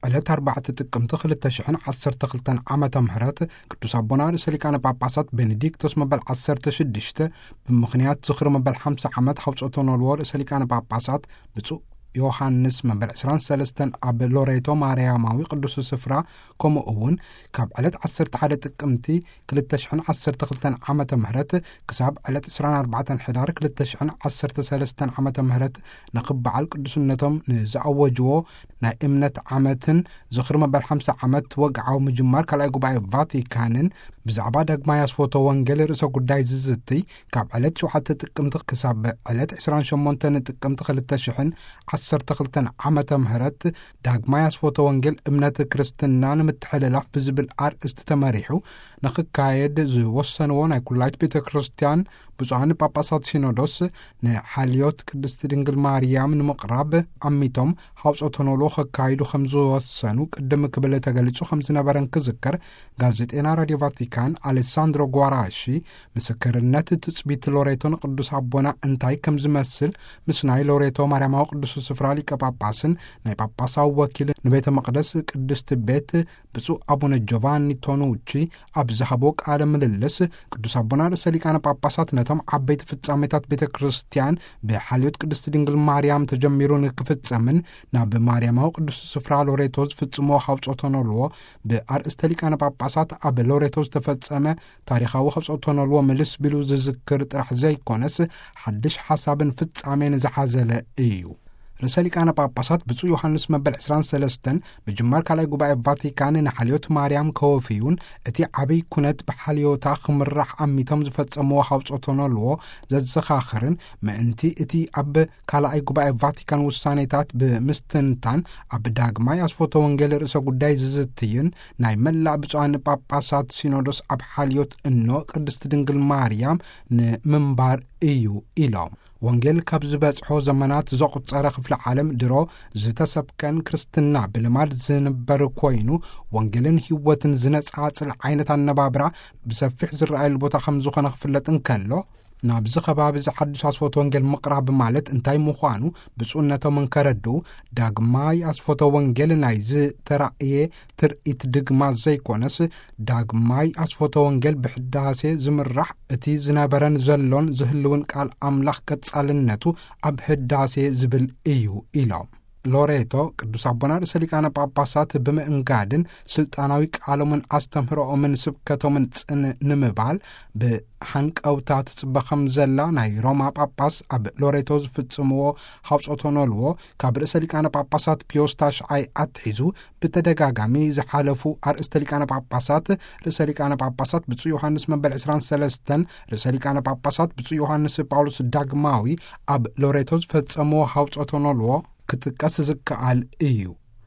ዕለት ኣርባዕተ ጥቅምቲ ክልተ ሽሕን ዓሰርተ ክልተን ዓመተ ምህረት ቅዱስ ኣቦና ርእሰ ሊቃነ ጳጳሳት ቤኔዲክቶስ መበል ዓሰርተ ሽዱሽተ ብምኽንያት ዝኽሪ መበል ሓምሳ ዓመት ሃውጾቶ ኖልዎ ርእሰ ሊቃነ ጳጳሳት ብፁዕ ዮሃንስ መበል ዕስራን ሰለስተን ኣብ ሎሬቶ ማርያማዊ ቅዱስ ስፍራ፣ ከምኡ እውን ካብ ዕለት ዓሰርተ ሓደ ጥቅምቲ ክልተ ሽሕን ዓሰርተ ክልተን ዓመተ ምህረት ክሳብ ዕለት ዕስራን ኣርባዕተን ሕዳር ክልተ ሽሕን ዓሰርተ ሰለስተን ዓመተ ምህረት ንኽበዓል ቅዱስነቶም ንዝኣወጅዎ ናይ እምነት ዓመትን ዝኽሪ መበል ሓምሳ ዓመት ወግዓዊ ምጅማር ካልኣይ ጉባኤ ቫቲካንን ብዛዕባ ዳግማይ ኣስፎቶ ወንጌል ርእሰ ጉዳይ ዝዝትይ ካብ ዕለት ሸውዓተ ጥቅምቲ ክሳብ ዕለት ዕስራን ሸሞንተን ጥቅምቲ ክልተ ሽሕን ዓሰርተ ክልተን ዓመተ ምህረት ዳግማይ ኣስፎቶ ወንጌል እምነት ክርስትና ንምትሕልላፍ ብዝብል ኣርእስቲ ተመሪሑ ንኽካየድ ዝወሰንዎ ናይ ኩላይት ቤተ ክርስቲያን ብፁዓን ጳጳሳት ሲኖዶስ ንሓልዮት ቅድስቲ ድንግል ማርያም ንምቕራብ ኣሚቶም ሃውጾተ ኖልዎ ከካይዱ ከም ዝወሰኑ ቅድም ክብል ተገሊጹ ከም ዝነበረን ክዝከር፣ ጋዜጤና ራድዮ ቫቲካን ኣሌሳንድሮ ጓራሺ ምስክርነት ትጽቢት ሎሬቶ ንቅዱስ ኣቦና እንታይ ከም ዝመስል ምስ ናይ ሎሬቶ ማርያማዊ ቅዱስ ስፍራ ሊቀ ጳጳስን ናይ ጳጳሳዊ ወኪል ንቤተ መቅደስ ቅድስቲ ቤት ብፁዕ ኣቡነ ጆቫኒ ቶኑቺ ኣብ ዝሃቦ ቃለ ምልልስ፣ ቅዱስ ኣቦና ርእሰ ሊቃነ ጳጳሳት ነቶም ዓበይቲ ፍጻሜታት ቤተ ክርስቲያን ብሓልዮት ቅድስቲ ድንግል ማርያም ተጀሚሩ ንክፍጸምን ናብ ማርያማዊ ቅዱስ ስፍራ ሎሬቶ ዝፍጽሞ ሃውጾተ ኖልዎ ብኣርእስተ ሊቃነ ጳጳሳት ኣብ ሎሬቶ ዝተፈጸመ ታሪኻዊ ሃውጾተ ኖልዎ ምልስ ቢሉ ዝዝክር ጥራሕ ዘይኮነስ፣ ሓድሽ ሓሳብን ፍጻሜን ዝሓዘለ እዩ። ርእሰ ሊቃነ ጳጳሳት ብፁዕ ዮሃንስ መበል ዕስራን ሰለስተን ምጅማር ካልኣይ ጉባኤ ቫቲካን ንሓልዮት ማርያም ከወፍዩን እቲ ዓብይ ኩነት ብሓልዮታ ክምራሕ ኣሚቶም ዝፈጸምዎ ሃውጾተ ኖልዎ ዘዘኻኽርን፣ ምእንቲ እቲ ኣብ ካልኣይ ጉባኤ ቫቲካን ውሳኔታት ብምስትንታን ኣብ ዳግማይ ኣስፎተ ወንጌል ርእሰ ጉዳይ ዝዝትይን ናይ መላእ ብፁዓን ጳጳሳት ሲኖዶስ ኣብ ሓልዮት እኖ ቅድስቲ ድንግል ማርያም ንምንባር እዩ ኢሎም። ወንጌል ካብ ዝበጽሖ ዘመናት ዘቑጸረ ክፍለ ዓለም ድሮ ዝተሰብከን ክርስትና ብልማድ ዝንበር ኮይኑ፣ ወንጌልን ህይወትን ዝነጻጽል ዓይነት ኣነባብራ ብሰፊሕ ዝረኣየሉ ቦታ ከም ዝኾነ ክፍለጥ እንከሎ፣ ናብዚ ከባቢ እዚ ሓድሽ ኣስፎተ ወንጌል ምቕራብ ማለት እንታይ ምዃኑ ብፁዕነቶም እንከረድኡ፣ ዳግማይ ኣስፎተ ወንጌል ናይ ዝተራእየ ትርኢት ድግማ ዘይኮነስ፣ ዳግማይ ኣስፎተ ወንጌል ብሕዳሴ ዝምራሕ እቲ ዝነበረን ዘሎን ዝህልውን ቃል ኣምላኽ ቀጻልነቱ ኣብ ህዳሴ ዝብል እዩ ኢሎም። ሎሬቶ ቅዱስ ኣቦና ርእሰ ሊቃነ ጳጳሳት ብምእንጋድን ስልጣናዊ ቃሎምን ኣስተምህሮኦምን ስብከቶምን ጽን ንምባል ብሓንቀውታ ትጽበ ከም ዘላ ናይ ሮማ ጳጳስ ኣብ ሎሬቶ ዝፍጽምዎ ሃውጾተ ኖልዎ ካብ ርእሰ ሊቃነ ጳጳሳት ፒዮስ ታሽዓይ ኣትሒዙ ብተደጋጋሚ ዝሓለፉ ኣርእስተ ሊቃነ ጳጳሳት ርእሰ ሊቃነ ጳጳሳት ብፁዕ ዮሃንስ መበል ዕስራን ሰለስተን ርእሰ ሊቃነ ጳጳሳት ብፁዕ ዮሃንስ ጳውሎስ ዳግማዊ ኣብ ሎሬቶ ዝፈጸምዎ ሃውጾተ ኖልዎ ክጥቀስ ዝከኣል እዩ።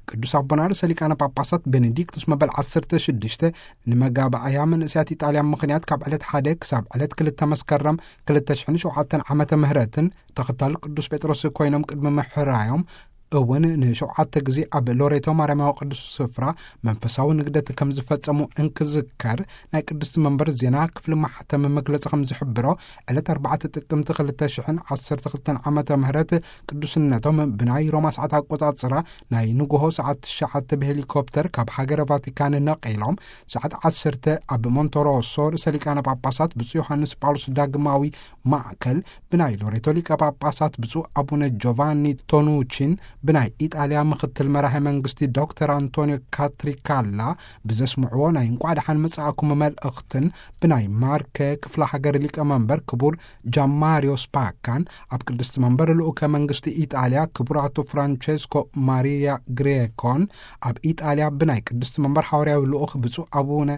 ቅዱስ ኣቦና ርእሰ ሊቃነ ጳጳሳት ቤኔዲክቱስ መበል ዓሰርተ ሽዱሽተ ንመጋባእያ መንእሰያት ኢጣልያ ምኽንያት ካብ ዕለት ሓደ ክሳብ ዕለት ክልተ መስከረም ክልተ ሽሕን ሸውዓተን ዓመተ ምህረትን ተኸታሊ ቅዱስ ጴጥሮስ ኮይኖም ቅድሚ ምሕራዮም እውን ንሸውዓተ ግዜ ኣብ ሎሬቶ ማርያማዊ ቅዱስ ስፍራ መንፈሳዊ ንግደት ከም ዝፈጸሙ እንክዝከር፣ ናይ ቅድስቲ መንበር ዜና ክፍሊ ማሕተም መግለጺ ከም ዝሕብሮ፣ ዕለት ኣርባዕተ ጥቅምቲ ክልተ ሽሕን ዓሰርተ ክልተን ዓመተ ምህረት ቅዱስነቶም ብናይ ሮማ ሰዓት ኣቆጻጽራ ናይ ንግሆ ሰዓት ትሽዓተ ብሄሊኮፕተር ካብ ሃገረ ቫቲካን ነቒሎም ሰዓት ዓሰርተ ኣብ ሞንቶሮሶ ርእሰ ሊቃነ ጳጳሳት ብፁዕ ዮሃንስ ጳውሎስ ዳግማዊ ማእከል ብናይ ሎሬቶ ሊቀ ጳጳሳት ብፁዕ ኣቡነ ጆቫኒ ቶኑቺን ብናይ ኢጣልያ ምኽትል መራሒ መንግስቲ ዶክተር ኣንቶኒዮ ካትሪካላ ብዘስምዕዎ ናይ እንቋዕ ደሓን መጻእኩም መልእኽትን ብናይ ማርከ ክፍለ ሃገር ሊቀ መንበር ክቡር ጃማሪዮ ስፓካን ኣብ ቅድስቲ መንበር ልኡከ መንግስቲ ኢጣልያ ክቡር ኣቶ ፍራንቸስኮ ማሪያ ግሬኮን ኣብ ኢጣልያ ብናይ ቅድስቲ መንበር ሓዋርያዊ ልኡኽ ብፁዕ ኣቡነ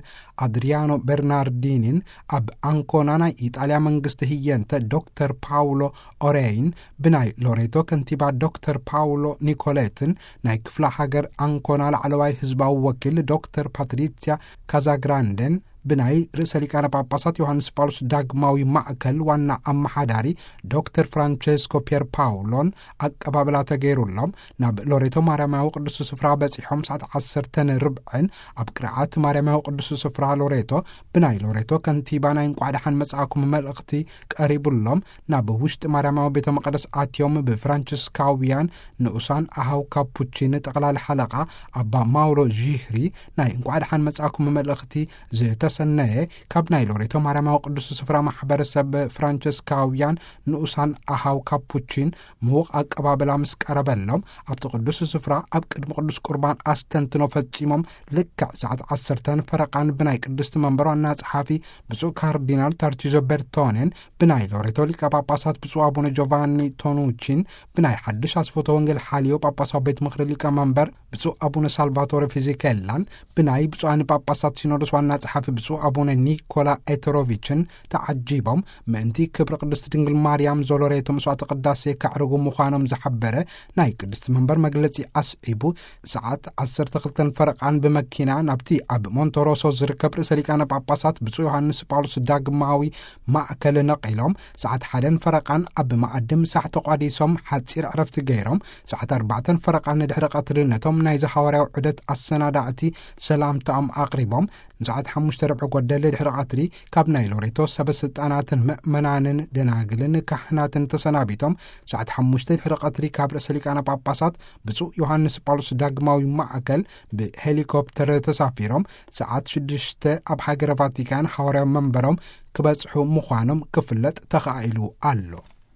ኣድሪያኖ በርናርዲኒን ኣብ ኣንኮና ናይ ኢጣልያ መንግስቲ ህየንተ ዶክተር ፓውሎ ኦሬይን ብናይ ሎሬቶ ከንቲባ ዶክተር ፓውሎ ኒኮሌትን ናይ ክፍለ ሃገር ኣንኮና ላዕለዋይ ህዝባዊ ወኪል ዶክተር ፓትሪሲያ ካዛግራንደን ብናይ ርእሰ ሊቃነ ጳጳሳት ዮሃንስ ጳውሎስ ዳግማዊ ማእከል ዋና ኣመሓዳሪ ዶክተር ፍራንቸስኮ ፒየር ፓውሎን ኣቀባብላ ተገይሩሎም፣ ናብ ሎሬቶ ማርያማዊ ቅዱስ ስፍራ በጺሖም ሰዓት ዓሰርተ ርብዕን ኣብ ቅርዓት ማርያማዊ ቅዱስ ስፍራ ሎሬቶ ብናይ ሎሬቶ ከንቲባ ናይ እንቋዕ ደሓን መጻእኩም መልእኽቲ ቀሪቡሎም፣ ናብ ውሽጢ ማርያማዊ ቤተ መቐደስ ኣትዮም ብፍራንቸስካውያን ንኡሳን ኣሃው ካፑቺን ጠቕላሊ ሓለቓ ኣባ ማውሮ ዢህሪ ናይ እንቋዕ ደሓን መጻእኩም መልእኽቲ ዝተሰነየ ካብ ናይ ሎሬቶ ማርያማዊ ቅዱስ ስፍራ ማሕበረሰብ ፍራንቸስካውያን ንኡሳን ኣሃው ካፑቺን ምዉቕ ኣቀባብላ ምስ ቀረበሎም፣ ኣብቲ ቅዱስ ስፍራ ኣብ ቅድሚ ቅዱስ ቁርባን ኣስተንትኖ ፈጺሞም፣ ልክዕ ሰዓት ዓሰርተ ፈረቓን ብናይ ቅድስቲ መንበር ዋና ጸሓፊ ብፁዕ ካርዲናል ታርቺዞ ቤርቶኔን ብናይ ሎሬቶ ሊቀ ጳጳሳት ብፁዕ ኣቡነ ጆቫኒ ቶኑቺን፣ ብናይ ሓድሽ ኣስፎተ ወንጌል ሓልዮ ጳጳሳዊ ቤት ምኽሪ ሊቀ መንበር ብፁዕ ኣቡነ ሳልቫቶረ ፊዚኬላን፣ ብናይ ብፁዓን ጳጳሳት ሲኖዶስ ዋና ጸሓፊ ብፁዕ ኣቡነ ኒኮላ ኤተሮቪችን ተዓጂቦም፣ ምእንቲ ክብሪ ቅድስቲ ድንግል ማርያም ዞሎሬቶ መስዋዕተ ቅዳሴ ከዕርጉ ምዃኖም ዝሓበረ ናይ ቅድስቲ መንበር መግለጺ ኣስዒቡ፣ ሰዓት ዓሰርተ ክልተን ፈረቓን ብመኪና ናብቲ ኣብ ሞንቶሮሶ ዝርከብ ርእሰ ሊቃነ ጳጳሳት ብፁዕ ዮሃንስ ጳውሎስ ዳግማዊ ማእከል ነቒሎም፣ ሰዓት ሓደን ፈረቓን ኣብ መኣዲ ምሳሕ ተቋዲሶም ሓጺር ዕረፍቲ ገይሮም፣ ሰዓት ኣርባዕተን ፈረቓን ንድሕሪ ቀትሪ ነቶም ናይዚ ሃዋርያዊ ዑደት ኣሰናዳእቲ ሰላምታኦም ኣቕሪቦም፣ ንሰዓት ሓሙሽተ ርብዒ ጎደል ድሕሪ ቀትሪ ካብ ናይ ሎሬቶ ሰበ ስልጣናትን ምእመናንን ደናግልን ካህናትን ተሰናቢቶም፣ ሰዓት ሓሙሽተ ድሕሪ ቀትሪ ካብ ርእሰ ሊቃነ ጳጳሳት ብፁዕ ዮሃንስ ጳውሎስ ዳግማዊ ማእከል ብሄሊኮፕተር ተሳፊሮም፣ ሰዓት ሽዱሽተ ኣብ ሃገረ ቫቲካን ሃዋርያዊ መንበሮም ክበጽሑ ምዃኖም ክፍለጥ ተኻኢሉ ኣሎ።